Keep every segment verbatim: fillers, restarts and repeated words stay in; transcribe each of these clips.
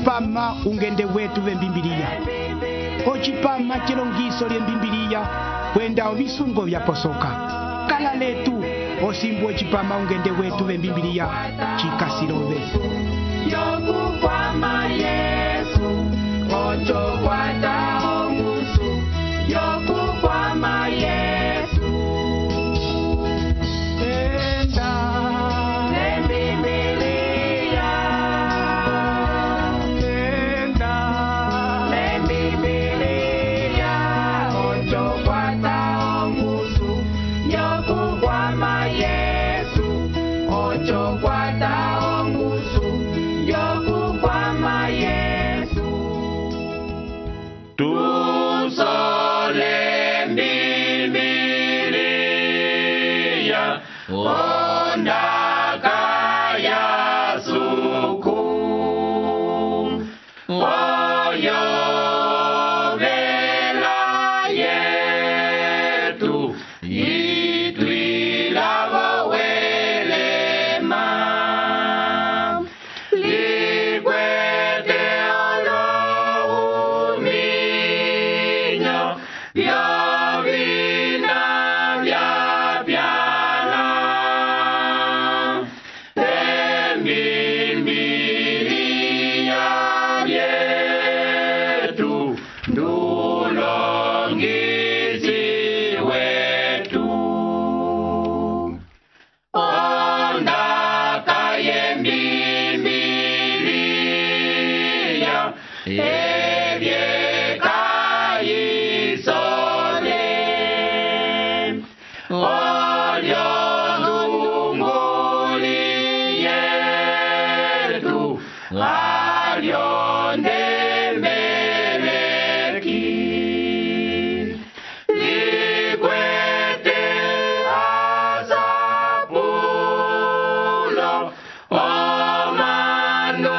ocipama ungende wetu vembimbiliya, ocipama cilongiso lyembimbiliya kwenda ovisungo vyaposoka. Kala letu osimbu ocipama ungende wetu vembimbiliya cikasirove. Yokukwama Yesu, ocho kwata ongusu. Yokukwama Yesu, Enda Lembimbiliya, enda Lembimbiliya, ocho kwata ongusu. Yokukwama Yesu, ocho kwata ongusu. Yokukwama Yesu. Tusole Mbimbiliya, ondaka ya suku. Oyo vela yetu, itwilavo welema. Likwete olo uminyo, vyovina vyapyala. Embimbiliya vyetu, ndulongisi wetu. Ondaka yembimbiliya, ebyeka isole. Olyo ndunguli yetu, alyo ndembeleki. Likwete asapulo, omanu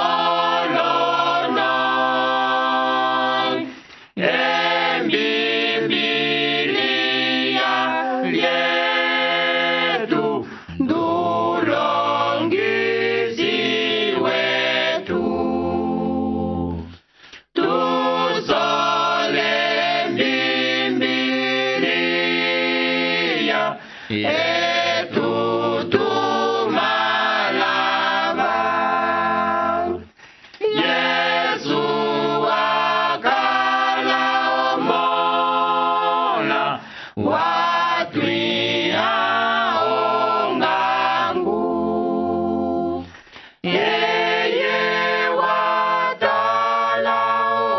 olono. Embimbiliya lyetu, ndulongisi wetu. Tusole Mbimbiliya, etu tumalava. Yesu wakala omola, watwiha ongangu. Yeye watala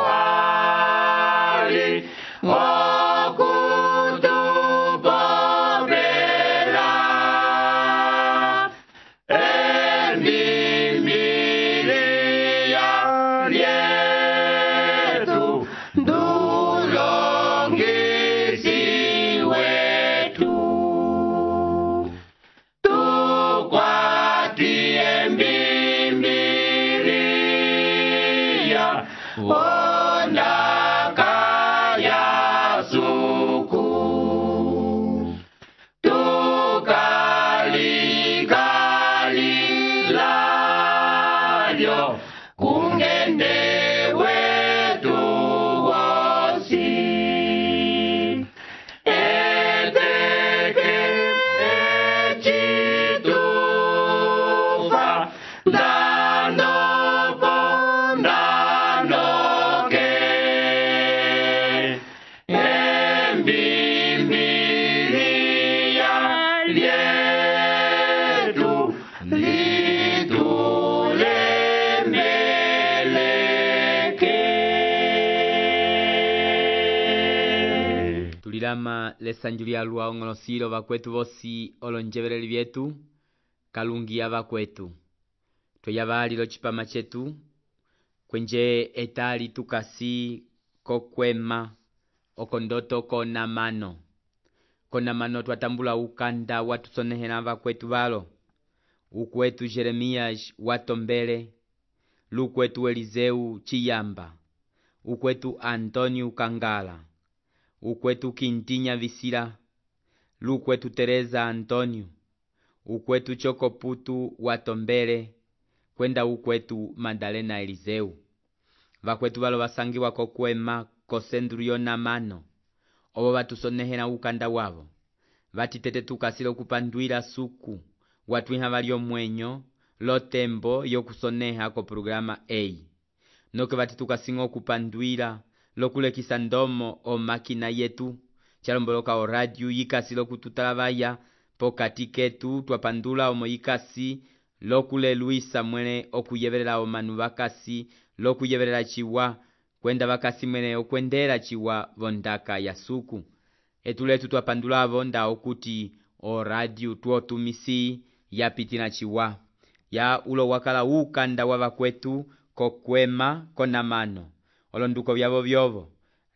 wali, okutupopela. Embimbiliya lyetu, ndulongisi wetu. Tukwati embimbiliya, ondaka ya suku. Tukalikalilyo, kungende wetu wosi. Eteke ecitufa, ndandopo ndandoke. Embimbiliya lyetu, litulemeleke. Tulilama lesanju lya lwa ong'olosilo vakwetu vosi olonjeveleli vyetu, kalungiya vakwetu. Tweyavalila ocipama cetu, kwenje etali tukasi kokwema, okondoto konamano. Konamano twatambula ukanda watusonehela vakwetu valo. Ukwetu Jeremías watombele, lukwetu Eliseu Chiyamba, ukwetu Antônio Kangala, ukwetu Quintinha Visila, lukwetu Teresa Antônio, ukwetu Chocoputu Watombele, kwenda ukwetu Madalena Eliseu. Vakwetu valo vasangiwa kokwema kosendulio na mano. Obo batusonehela ukanda wavo. Vatitete tukasile okupandwila suku. Watwiha valio mwenyo lotembo yokusoneha ko programa A. Noke vati tukasinga okupandwila lokulekisa ndomo o makina yetu. Chalomboloka o radio yikasile okututalavaya pokati ketu twapandula omo yikasi lokule Luisa mwene okuyevelela omanu vakasi lokuyevelela chiwa kwenda vakasi mwene okwendela chiwa vondaka ya suku. Etuletu twapandulavo nda okuti o radio tuotumisi yapitila chiwa. Ya ulo wakala ukanda wavakwetu kokwema konamano. Olonduko vyavo vyovo.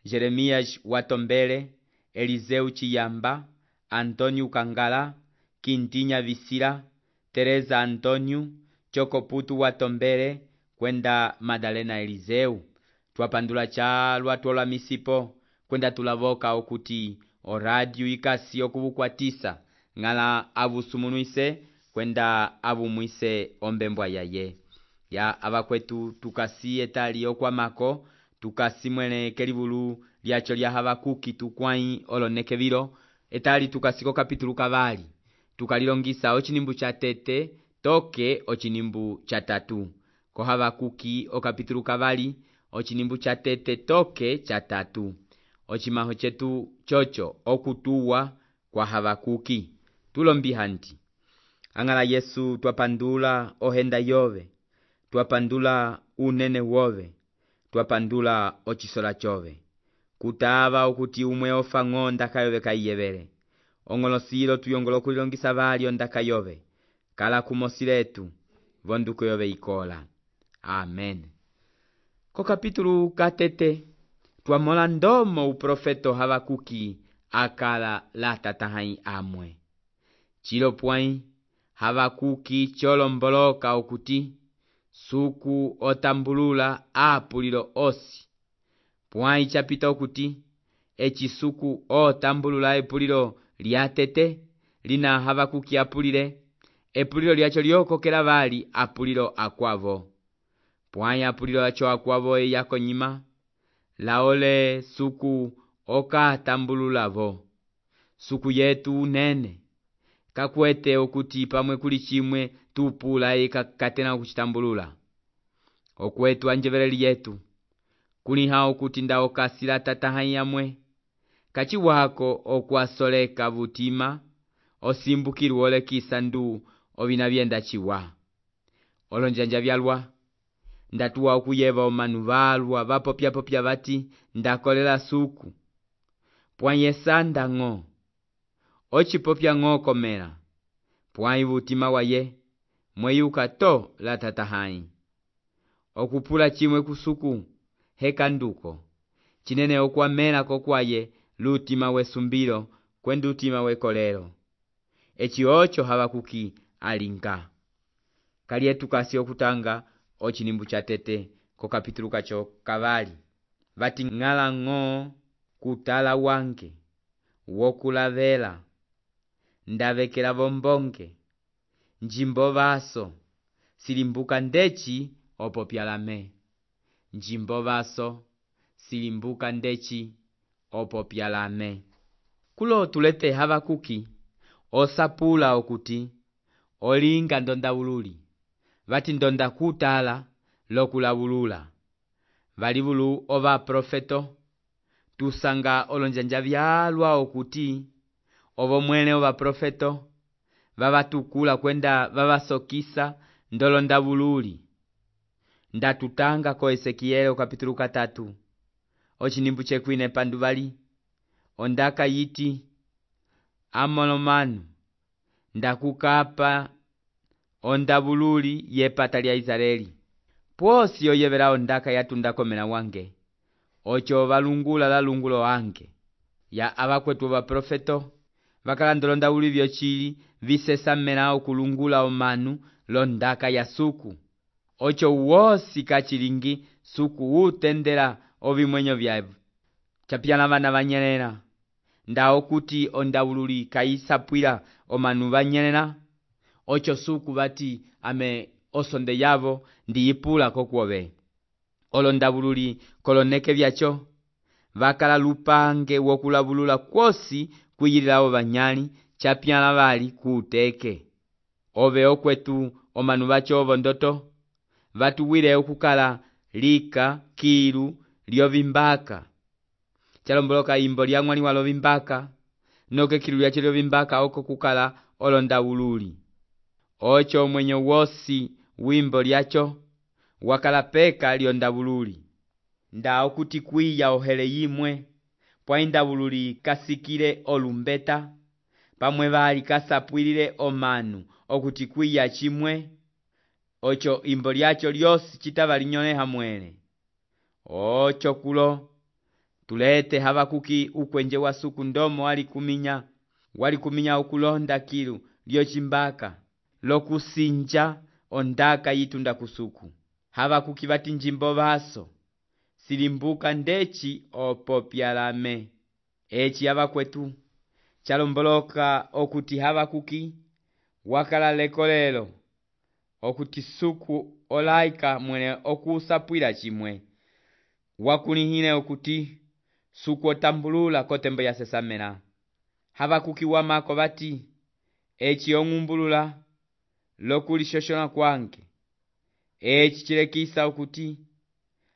Jeremias Watombele, Eliseu Chiyamba, Antonio Kangala, Kintinya Visira, Teresa Antonio, Chokoputu Watombele, kwenda Madalena Eliseu. Twapandula chalwa tuola misipo, kwenda tulavoka okuti o radio ikasi okubukwatisa, ngala avusumunuise, kwenda avumwise ombembwa yaye. Ya avakwetu tukasi etali okwamako, tukasi mwene kelivulu liacho lya Habakuki tukwai olonekevilo, etali tukasiko kapitulu kavali. Tukalilongisa ochinimbu cha tete, toke ochinimbu cha tatu. Ko Habakuki o kapitulu kavali, ochinimbu cha tete toke cha tatu. Ochimaho chetu chocho okutuwa kwa Habakuki. Tulombihanti. Angala Yesu twapandula ohenda yove. Twapandula unene wove. Twapandula ochisola chove. Kutava okuti umwe ofa ngonda kayove kaiyevele. Ongolosilo tuyongolo kulilongisa vali ondaka yove. Kala kumosiletu. Vonduko yove ikola. Amen. Ko kapitulu katete. Twamola ndomo uprofeto Habakuki akala la tatahai amwe. Chilo pwai Habakuki cholomboloka okuti suku otambulula apulilo osi. Pwai chapita okuti echi suku otambulula epulilo liatete lina Habakuki apulile epulilo liacho liokokela vali apulilo akwavo. Pwai apulilo acho akwavo eyako nyima laole suku oka tambululavo. Suku yetu unene kakwete okuti pamwe kuli chimwe tupula eka katena kuchitambulula. Okwetu anjeveleli yetu kuliha okuti nda okasila tatahai yamwe kachi wako okwasoleka vutima osimbukiru ole kisandu ovina vyenda chiwa. Olonjanja vyalwa ndatuwa okuyeva omanu valwa vapopya popya vati ndakolela suku. Pwanye sanda ngo. Ochi popya ngo komela. Pwanye vutima waye mweyuka to la tatahai. Okupula chimwe kusuku hekanduko. Chinene okwamela kokwaye lutima wesumbilo kwendu utima wekolelo. Echi ocho Habakuki alinga. Kalietu kasi okutanga ochinimbu cha tete ko kapitulu kacho kavali. Vati ngala ngo kutala wange wokulavela ndavekela vombonge njimbo vaso silimbuka ndechi opopyalame. Njimbo vaso silimbuka ndechi opopyalame. Kulo tulete Habakuki osapula okuti olinga ndonda ululi. Vati ndonda kutala lokulavulula. Valivulu ova profeto tusanga olonjanja vyalwa okuti ovo mwene ova profeto vavatukula kwenda vavasokisa ndolonda vululi. Ndatutanga ko Ezekiel kapitulu katatu. Ochinimbu chekwine panduvali. Ondaka yiti amolomanu ndakukapa ondavululi yepata lya Israeli. Pwosi oyevela ondaka yatunda komela wange. Ocho valungula la lungulo wange. Ya abakwetu wa profeto. Vakala ndolonda uli vyochili visesamela okulungula omanu londaka ya suku. Ocho wosi kachilingi suku utendela ovimwenyo vyavu. Chapiana vana vanyelela. Nda okuti ondavululi kaisapwila omanu vanyelela. Ocho suku vati ame osonde yavo ndiyipula kokwove. Olondavululi koloneke vyacho vakala lupange wokulavulula kwosi kwiyilila ovanyali chapyala vali kuuteke. Ove okwetu omanu vacho ovo ndoto vatuwile okukala lika kilu lyovimbaka. Chalomboloka imbo lya ng'wali walo vimbaka noke kilu lyacho lyovimbaka oko kukala olondavululi. Ocho mwenyo wosi wimbo lyacho wakala peka lyondavululi. Nda okuti kwiya ohele yimwe pwa indavululi kasikile olumbeta pamwe vali kasapwilile omanu okuti kwiya chimwe. Ocho imbo lyacho lyosi chitava linyoleha mwele. Ocho kulo tulete Habakuki ukwenje wa suku ndomo wali kuminya wali kuminya okulonda kilu lyochimbaka lokusinja ondaka yitunda kusuku. Habakuki vati njimbo vaso silimbuka ndechi opopyalame. Echi abakwetu chalomboloka okuti Habakuki wakala lekolelo okuti suku olaika mwene okusapwila chimwe. Wakulihile okuti suku otambulula kotembo ya sesamela. Habakuki wamako vati echi ong'umbulula lokulishoshola kwange. Echi chilekisa okuti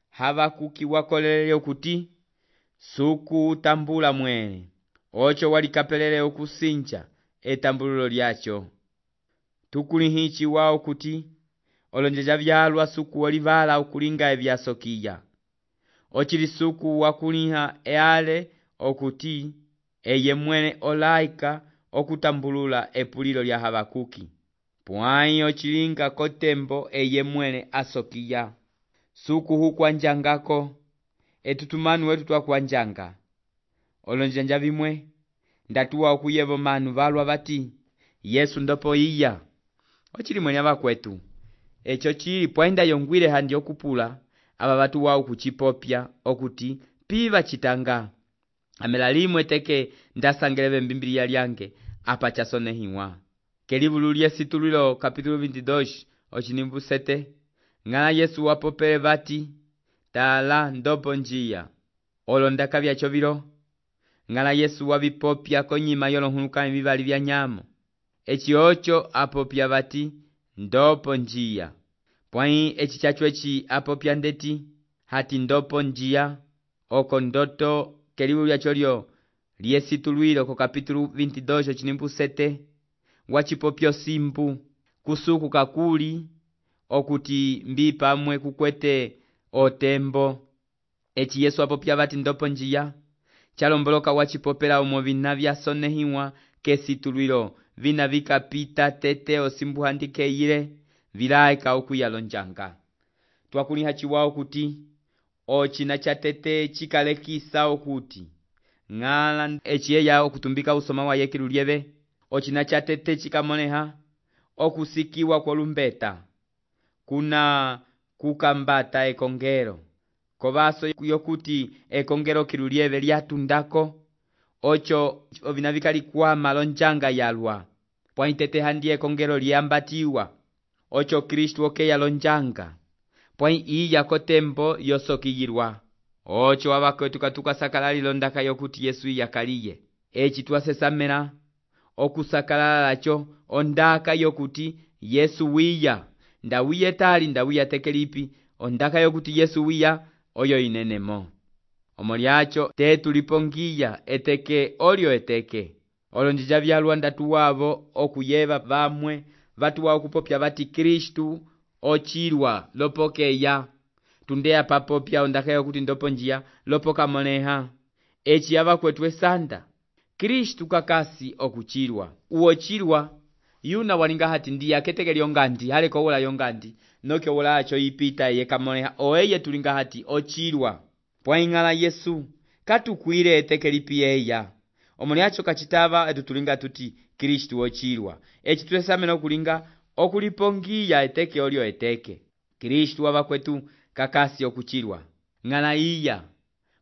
Habakuki wakolele okuti suku utambula mwene. Ocho walikapelele okusinja etambululo lyacho. Tukulihichi wao okuti olonjeja vyalwa suku olivala okulinga evyasokiya. Ochili suku wakuliha eale okuti eye mwene olaika okutambulula epulilo lya Habakuki. Pwai ochilinga kotembo eye mwene asokiya. Suku hukwanjangako etutumanu wetu twakwanjanga. Olonjanja vimwe ndatuwa okuyevo manu valwa vati Yesu ndopo iya. Ochili mwene abakwetu. Echo chili pwainda yongwile handi okupula aba batu wao kuchipopya okuti piva chitanga. Amela limwe teke ndasangeleve mbimbilia lyange apa chasonehiwa. Kelivululia situlilo kapitulo veintidós ochinimbu sete. Ngala Yesu wapopele vati tala ndopo njia. Olondaka vyacho vilo. Ngala Yesu wabipopya konyima yolonhuluka vivali vya nyamo. Echi ocho apopya vati ndopo njia. Pwai echi chacho echi apopya ndeti hati ndopo njia. Oko ndoto kelivululia cholio liesitulwilo ko kapitulo veintidós ochinimbu sete. Wachipopyo simbu kusuku kakuli okuti mbi pamwe kukwete otembo. Echi Yesu apopya vati ndopo njia. Chalomboloka wachipopela umo vina vya sonehiwa kesitulwilo vina vikapita tete osimbu handike ile vilaika okuyalonjanga. Twakuliha chiwao kuti ochina cha tete chikalekisa okuti ngala echiyeya okutumbika usoma wa yekilu lyeve. Ochina cha tete chikamoneha okusikiwa kwa lumbeta kuna kukambata ekongero. Kobaso yokuti ekongero kilu lyeve lyatundako. Ocho ovina vikali kwa malonjanga yalwa. Pwa intete handi ekongero liambatiwa. Ocho Kristu oke yalonjanga. Pwa iya kotembo yosokiyirwa. Ocho abakwetu katuka sakalali londaka yokuti Yesu yakaliye. Echi twasesamela okusakalala lacho ondaka yokuti Yesu wiya. Ndawiye tali ndawiya tekelipi. Ondaka yokuti Yesu wiya oyo inenemo. Omolyacho tetu lipongiya eteke olio eteke. Olonjija vyalwa ndatu wavo okuyeva vamwe vatu wao kupopya vati Kristu ochilwa lopokeya. Tundea papopya ondaka yokuti ndopo njia lopoka moneha. Echi abakwetu esanda Kristu kakasi okuchilwa. Uochilwa yuna walinga hati ndiya keteke lyongandi haleko wula yongandi noke wula acho ipita yeka moneha oeye tulinga hati ochilwa. Pwa ingala Yesu katukwile eteke lipiyeya. Omolyacho kachitava etutulinga tuti Kristu ochilwa. Echi tuesamena okulinga okulipongiya eteke olio eteke. Kristu abakwetu kakasi okuchilwa. Ngala iya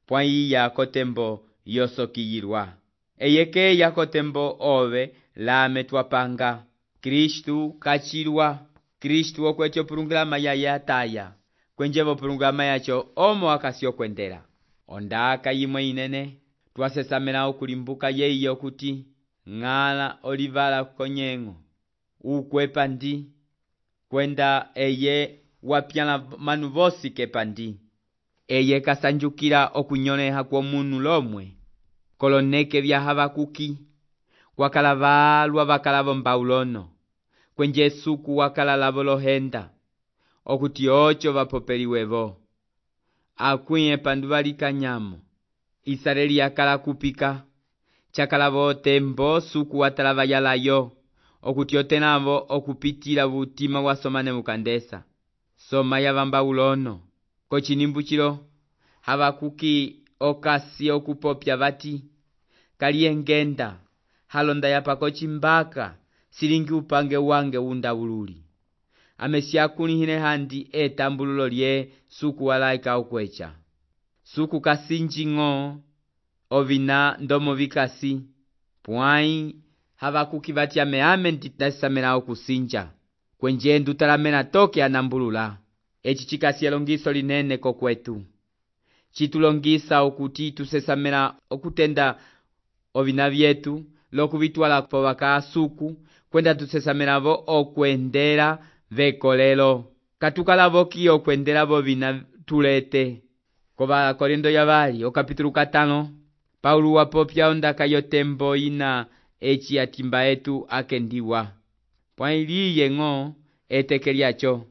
pwa iya kotembo yosokiyirwa. Eyeke ya kotembo ove lame twapanga. Kristu kachilwa. Kristu okwete opulungulama yaye ataya, kwenjevo opulungulama yacho omo akasi okwendela. Ondaka yimwe inene, twasesamela okulimbuka yeyo kuti ng'ala olivala konyeng'o, ukwepa ndi, kwenda eye wapyala manu vosi kepandi. Eye kasanjukila okunyoleha kwa munu lomwe. Koloneke vya Habakuki, wakala valwa vakala vombaulono, kwenje suku wakala lavo lohenda, okuti ocho vapopeliwevo. Akwiye pandu valikanyamo, Israeli yakala kupika, chakala votembo suku watalava yalayo, okuti otenavo okupitila vutima wasomane mukandesa. Soma ya vambaulono, kochinimbuchilo, Habakuki okasi okupopya vati, kaliyengenda, halonda yapako chimbaka, silingi upange wange undawululi. Amesia kulihine handi etambululo lye suku walaika ukwecha. Suku kasinjingo, ovina ndomo vikasi, puai, Habakuki vati ame ame nditasamela okusinja. Kwenje ndutalamena toke anambulula. Echi chikasi elongiso linene kokwetu. Chitulongisa okuti tusesamela okutenda ovina vyetu, loku vitwala po waka suku, kwenda tusesamela vo okwendela vekolelo. Katukala voki okwendela vo vina tulete. Koba Korinto ya vali, o kapitulu katano, Paulu wapopya ondaka yotembo ina echi yatimba etu akendiwa. Pwai liye ng'o etekeliacho.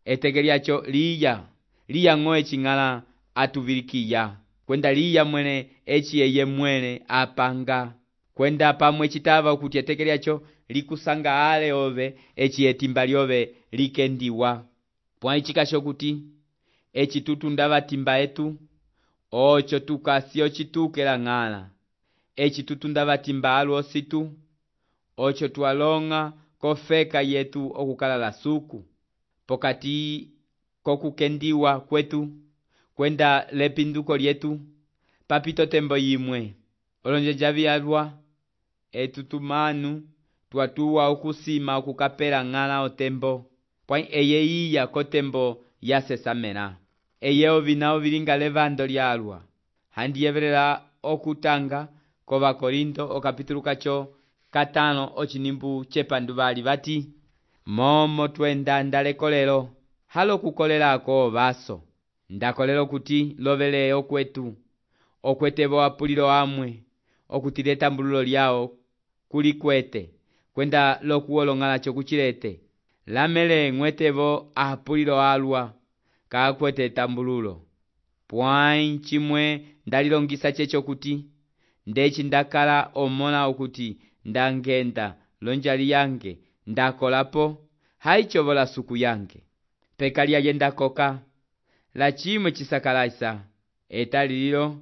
Etekeliacho liya. Liya ng'o echi ngala atuvilikiya. Kwenda liya mwene echi eye mwene apanga. Kwenda pamwe chitava ukuti etekeliacho likusanga ale ove echi etimba lyove likendiwa. Pwai chikasho kuti echi tutundava timba etu, ocho tukasi ochitukela ng'ala. Echi tutundava timba alu ositu, ocho tualonga kofeka yetu okukala la suku. Pokati kokukendiwa kwetu, kwenda lepinduko lyetu, papito tembo yimwe. Olonje javi alwa, etutumanu, tuatuwa okusima okukapela ng'ala otembo. Pwai eye iya kotembo yasesamela. Eye ovina ovilinga levando lyalwa. Handi yevelela okutanga koba Korinto o kapitulu kacho katano ochinimbu chepandu bali vati, momo twenda ndalekolelo, halo kukolelako baso. Ndakolelo kuti lovele okwetu, okwetebo apulilo amwe, okutileta mbululo lyao kulikwete, kwenda lokuolongala chokuchilete. Lamele ng'wetebo apulilo alwa, kakwete tambululo. Pwai chimwe ndalilongisa checho kuti, ndechi ndakala omona okuti ndangenda lonjali yange ndakolapo haichovola suku yange. Pekali yenda koka la chimwe chisakalaisa etalilo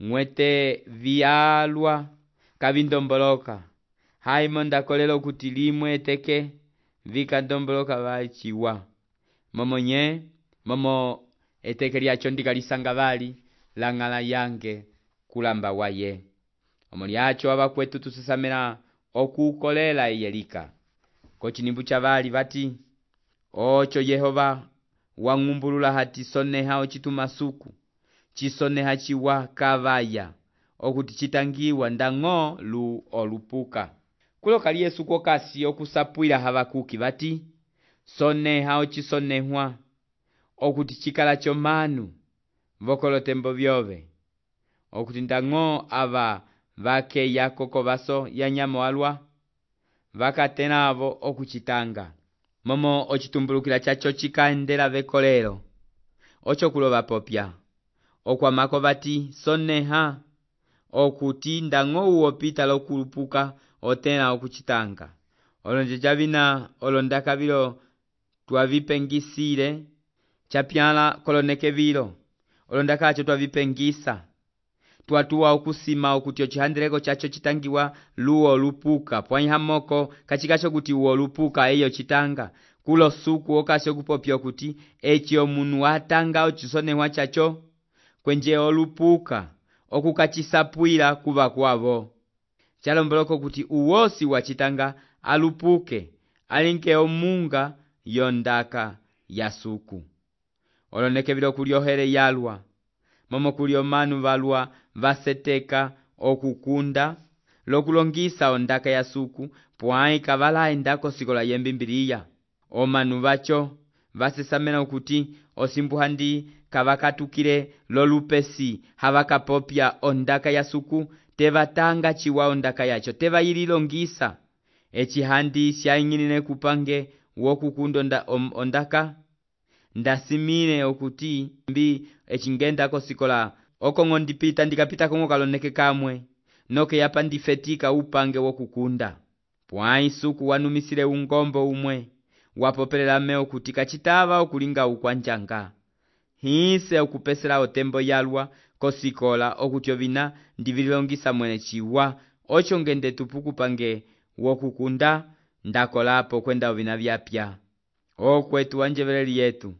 ng'wete vialwa kavindomboloka. Haimo ndakolelo kuti limwe teke vika ndomboloka vachiwa. Momo nye, momo etekeli yacho ndikalisanga vali la ng'ala yange kulamba waye. Omoli yacho abakwetu tusesamela okukolela iyelika. Kochinimbu cha vali vati, ocho Yehova wang'umbulula hati soneha ochituma suku, chisoneha chiwa kavaya, okuti chitangiwa ndang'o lu olupuka. Kulo kali Yesu kwa kasi okusapwila Habakuki vati, soneha ochisonehwa, okuti chikala chomanu, vokolo tembo vyove, okuti ndang'o ava vake yako kobaso ya nyamo alwa, vakatenavo okuchitanga. Momo ochitumbulukila chacho chikaendela vekolelo, ocho kuloba popya, okwamako vati soneha, okuti ndang'o uopita lokulupuka otena okuchitanga. Olonje javina olondaka vilo tuavipengisile, chapyala koloneke vilo, olondaka acho tuavipengisa. Tuatua okusima okuti ochihandeleko chacho chitangiwa luo lupuka. Pwai hamoko kachikacho kuti uo lupuka eyo chitanga. Kulo suku okasyo kupopyo kuti echi omunu watanga ochisonehwa chacho. Kwenje olupuka okukachisapwila kuba kwavo. Chalomboloko kuti uosi wachitanga alupuke. Alinke omunga yondaka ya suku. Oloneke vilo kuliohere yalwa, momo kulio manu valwa vaseteka okukunda lokulongisa ondaka ya suku pwai kavala endako sikola yembimbiliya. Omanu vacho vasesamena okuti osimbuhandi kavakatukile lolupesi havakapopya ondaka ya suku tevatanga chiwa ondaka yacho teva yililongisa. Echihandi shaingilile kupange wokukunda onda, ondaka ndasimile okuti mbi echingenda kosikola okongo ndipita ndikapita kongo kaloneke kamwe noke yapa ndifetika upange wokukunda. Pwai suku wanumisile ungombo umwe wapopelela me okuti kachitava okulinga ukwanjanga. Hise okupesela otembo yalwa kosikola okuti ovina ndivilongisa mwene chiwa ocho ngende tupuku pange wokukunda ndakolapo kwenda ovina vyapya. Okwetu wanjeveleli yetu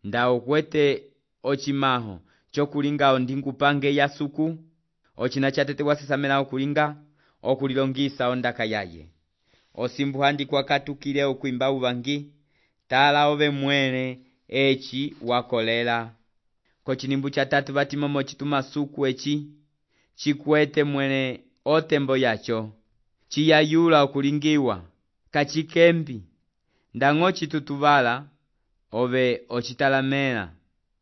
nda okwete ochimaho chokulinga ondingupange ya suku ochina chatete wasesamena okulinga okulilongisa ondaka yaye. Osimbuhandi kwa katukile okuimba uvangi tala ove mwene echi wakolela. Kochinimbu cha tatu vatimomo chituma suku echi chikwete mwene otembo yacho chiyayula okulingiwa kachikembi ndango chitutuvala ove ochitalamela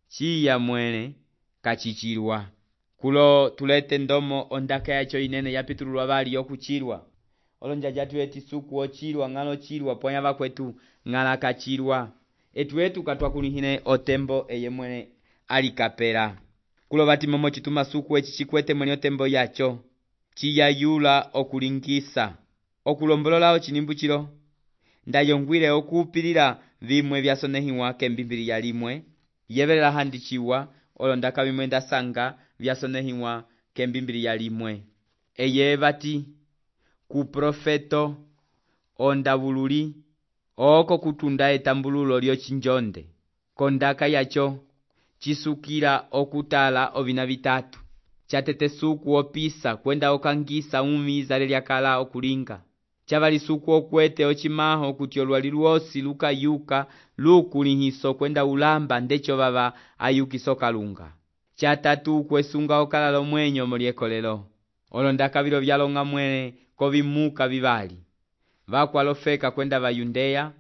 chiya mwene kachichilwa. Kulo tulete ndomo ondaka yacho inene yapitululwa vali yokuchilwa. Olonja jatu eti suku ochilwa ngalo chilwa ponya vakwetu ngala kachilwa. Etu etu katwa kulihine otembo eye mwene alikapela. Kulo vatimomo chituma suku echi chikwete mwene otembo yacho chiyayula okulingisa. Okulombolola ochinimbu chilo ndayongwile okupilila vimwe vyasonehiwa kembimbili ya limwe yevelela handi chiwa olondaka vimwe ndasanga vyasonehiwa kembimbili ya limwe. Eye vati ku profeto ondavululi oko kutunda etambululo lyo chinjonde kondaka yacho chisukila okutala ovina vitatu. Chatete suku opisa kwenda okangisa umizale lyakala okulinga. Chavali suku okwete ochimaho kuti olwali lwosi lukayuka lukulihiso kwenda ulamba ndecho vava ayukiso kalunga. Chatatu kwesunga okalalo mwenyo moliekolelo. Olondaka vilo vyalonga mwene kovimuka vivali. Vakwalofeka kwenda va Yudea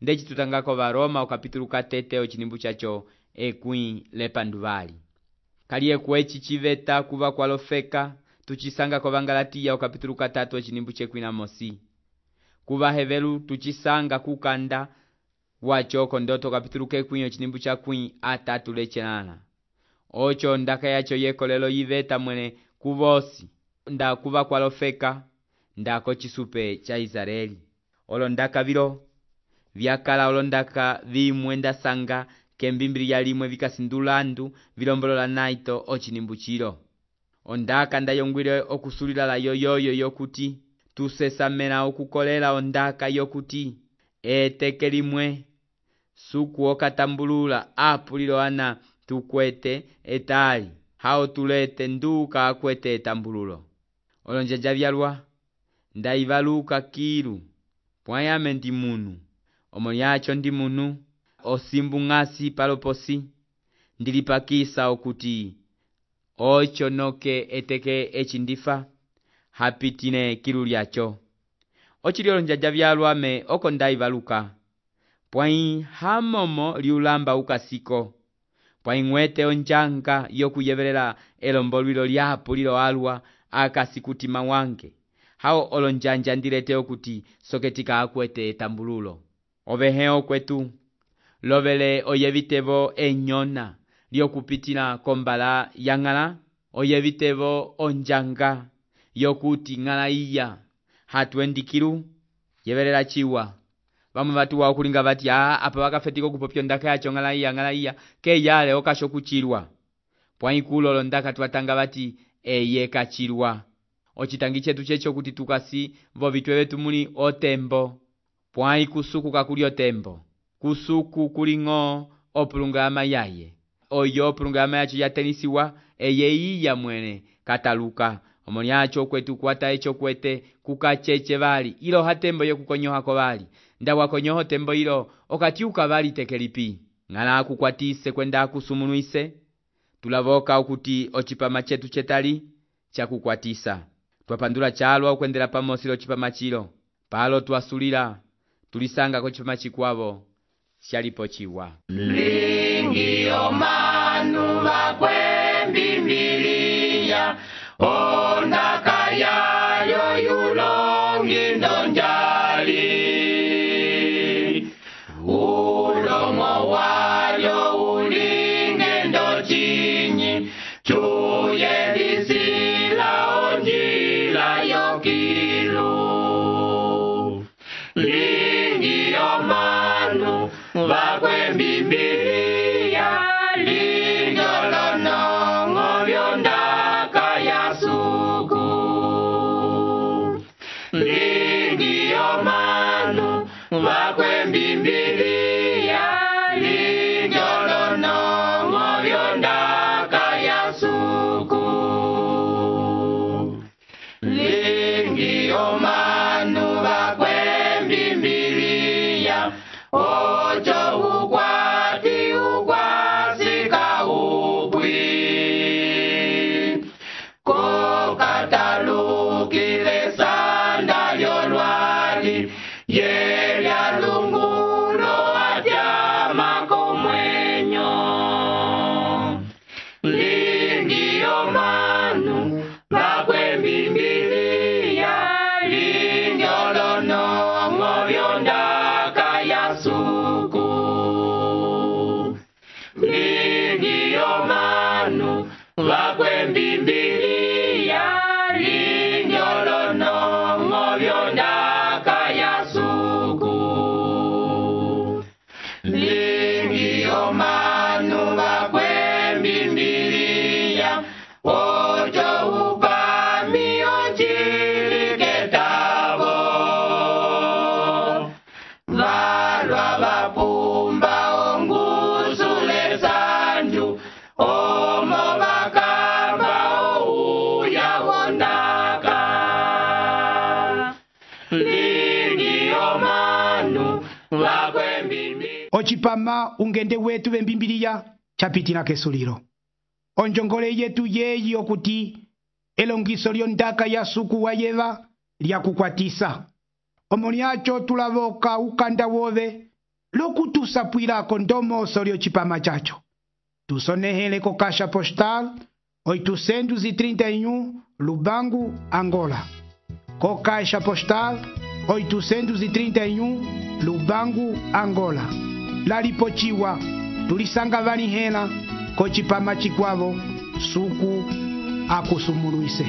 ndechi tutangako va Roma okapitulu katete ochinimbu chacho ekwi lepanduvali. Kalie kwechi chiveta kuva kwalofeka tuchisanga kwa Galatia okapitulu katatu ochinimbu chekwi na mosi. Kuva hevelu tuchisanga kukanda wacho kondoto kapitulu kekwi ochinimbu chakwi atatu lechenana. Ocho ndaka yacho yekolelo yiveta mwene kuvosi nda kuva kwalofeka ndako chisupe cha Israeli. Olondaka vilo vyakala olondaka vimwenda sanga kembimbili ya limwe vikasindulandu vilombolola naito ochinimbu chilo. Ondaka ndayongwile okusulila la yoyoyo yokuti tusesamena okukolela ondaka yokuti eteke limwe suku okatambulula apulilo ana tukwete etali hao tulete nduka akwete etambululo. Olonjaja vyalwa ndaivaluka kilu pwayame ndi munu omoni yacho ndi munu osimbu ngasi paloposi ndilipakisa okuti ocho noke eteke echindifa hapitine kilu lyacho. Ochilio lonjaja vyalwa me oko ndaivaluka pwai hamomo liulamba ukasiko pwai ngwete onjanga yokuyevelela elombolwilo lyapo lilo alwa akasikutima wange. Hao olonjanja ndilete okuti soketika akwete etambululo. Oveheo kwetu lovele oyevitevo enyona lyokupitila kombala ya ngala oyevitevo onjanga yokuti ngala iya hatuendikilu yevelela chiwa. Vamwe vatu wa okulinga vati aa apa wakafetiko kupopyo ndaka yacho ngala iya ngala iya ke yale okasho kuchilwa. Pwai kulolo ndaka tuatanga vati eye kachilwa. Ochitangi chetu checho kuti tukasi vo vitwe vetu muli otembo. Pwai kusuku kakuli otembo. Kusuku kulingo opulungama yaye. Oyo opulungama yacho ya tenisiwa eye iya mwene kataluka omoniacho kwetu kwata echo kwete kukacheche bali ilo hatembo yokukonyohako bali ndawa konyoho tembo ilo okatiuka bali tekelipi ngala akukwatise kwenda akusumunuise tulavoka ukuti ochipama chetu chetali chakukwatisa twapandula chalwa ukwendela pamosilo chipama chilo palo twasulila tulisanga ko chipama chikwavo shalipo chiwa lingi omanu bakwembimbiliya ondaka yayo yulongi ndonjali ulomo wayo ulinge ndochinyi chuye lisila onjila yokilu lingi omanu bakwembimbiliya linjolonongo byondaka yasuku lingi omanu bakwembimbiliya linjolonongo byondaka yasuku lingi omanu bakwembimbiliya ocho ukwati ukwasika upwi kokatalukile sanda lyolwali yelya lungulo atyama komwenyo lingi omanu bakwembimbiliya linjolonongo byondaka yasuku lingi omanu bakwembimbiliya linjolonongo byondaka yasuku lingi omanu bakwembimbiliya ocho upami onchiliketavo valwa vapumba ongusule sanju omo bakamba ouya wondaka lingi omanu bakwembimbiliya ochipama ungende wetu bembimbiliya chapitila kesulilo onjongole yetu yeyi okuti elongiso lyondaka yasuku wa yeva lyakukwatisa omoniacho tulavoka ukanda wove lokutusapwilako ndomoso lyochipama chacho tusonehele ko caixa postal oitocentos e trinta e um Lubango, Angola. Co caixa postal oitocentos e trinta e um Lubango, Angola. Lalipochiwa tulisanga vanihela ko chipama chikwavo suku akusumuluise.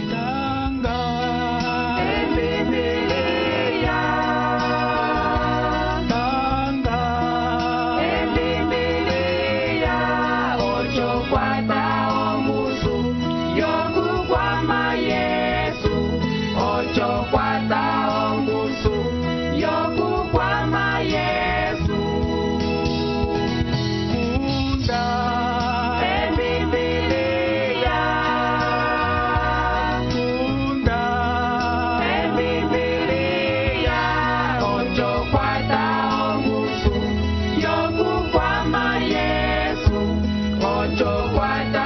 Ocho, cuatro.